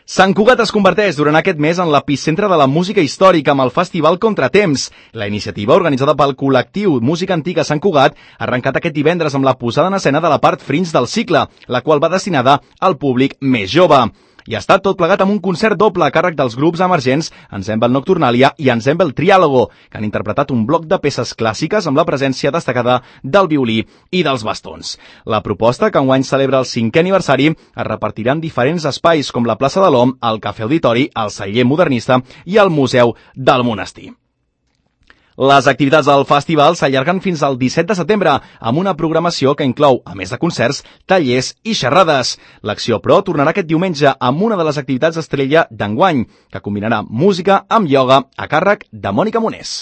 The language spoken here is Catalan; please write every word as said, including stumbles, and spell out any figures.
Sant Cugat es converteix durant aquest mes en l'epicentre de la música històrica amb el Festival Contratemps. La iniciativa, organitzada pel col·lectiu Música Antiga Sant Cugat, ha arrencat aquest divendres amb la posada en escena de la part fringe del cicle, la qual va destinada al públic més jove. I ha estat tot plegat amb un concert doble a càrrec dels grups emergents Ensemble Nocturnalia i Ensemble Triàlogo, que han interpretat un bloc de peces clàssiques amb la presència destacada del violí i dels bastons. La proposta, que enguany celebra el cinquè aniversari, es repartirà en diferents espais com la plaça de l'Om, el Cafè Auditori, el Celler Modernista i el Museu del Monestir. Les activitats del festival s'allarguen fins al disset de setembre, amb una programació que inclou, a més de concerts, tallers i xerrades. L'acció, però, tornarà aquest diumenge amb una de les activitats estrella d'enguany, que combinarà música amb ioga a càrrec de Mònica Monés.